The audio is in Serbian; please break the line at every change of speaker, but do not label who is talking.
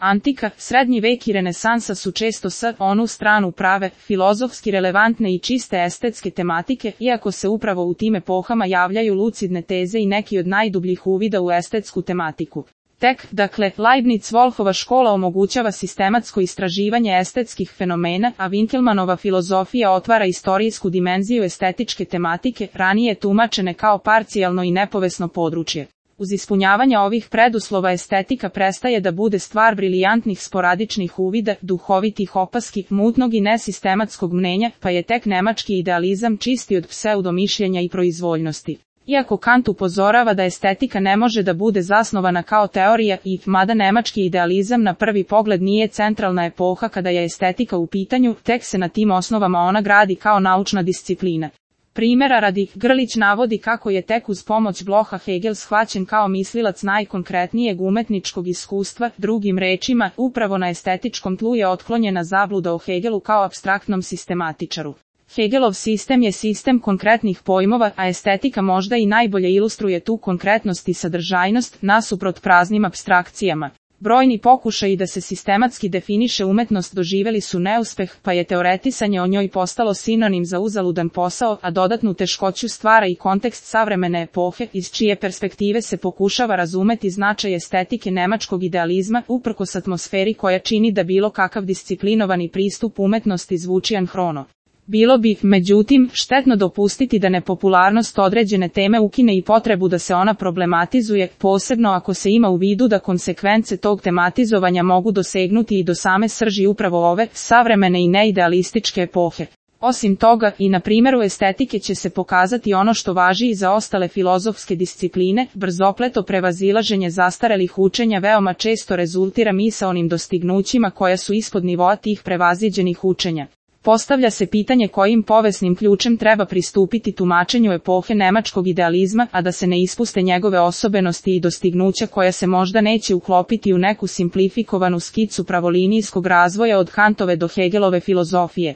Antika, srednji vek i renesansa su često s onu stranu prave, filozofski relevantne i čiste estetske tematike, iako se upravo u tim epohama javljaju lucidne teze i neki od najdubljih uvida u estetsku tematiku. Tek, dakle, Leibniz-Wolfova škola omogućava sistematsko istraživanje estetskih fenomena, a Winkelmannova filozofija otvara istorijsku dimenziju estetičke tematike, ranije tumačene kao parcijalno i nepovesno područje. Uz ispunjavanje ovih preduslova estetika prestaje da bude stvar brilijantnih sporadičnih uvida, duhovitih opaski, mutnog i nesistematskog mnenja, pa je tek nemački idealizam čisti od pseudomišljenja i proizvoljnosti. Iako Kant upozorava da estetika ne može da bude zasnovana kao teorija i, mada nemački idealizam na prvi pogled nije centralna epoha kada je estetika u pitanju, tek se na tim osnovama ona gradi kao naučna disciplina. Primjera radi, Grlić navodi kako je tek uz pomoć Blocha Hegel shvaćen kao mislilac najkonkretnijeg umetničkog iskustva, drugim rečima, upravo na estetičkom tlu je otklonjena zabluda o Hegelu kao apstraktnom sistematičaru. Hegelov sistem je sistem konkretnih pojmova, a estetika možda i najbolje ilustruje tu konkretnost i sadržajnost, nasuprot praznim apstrakcijama. Brojni pokušaji da se sistematski definiše umetnost doživeli su neuspeh, pa je teoretisanje o njoj postalo sinonim za uzaludan posao, a dodatnu teškoću stvara i kontekst savremene epohe, iz čije perspektive se pokušava razumeti značaj estetike nemačkog idealizma, uprkos atmosferi koja čini da bilo kakav disciplinovani pristup umetnosti zvuči anhrono. Bilo bi, međutim, štetno dopustiti da nepopularnost određene teme ukine i potrebu da se ona problematizuje, posebno ako se ima u vidu da konsekvence tog tematizovanja mogu dosegnuti i do same srži upravo ove, savremene i neidealističke epohe. Osim toga, i na primjeru estetike će se pokazati ono što važi i za ostale filozofske discipline, brzopleto prevazilaženje zastarelih učenja veoma često rezultira misaonim dostignućima koja su ispod nivoa tih prevaziđenih učenja. Postavlja se pitanje kojim povesnim ključem treba pristupiti tumačenju epohe nemačkog idealizma, a da se ne ispuste njegove osobenosti i dostignuća koja se možda neće uklopiti u neku simplifikovanu skicu pravolinijskog razvoja od Kantove do Hegelove filozofije.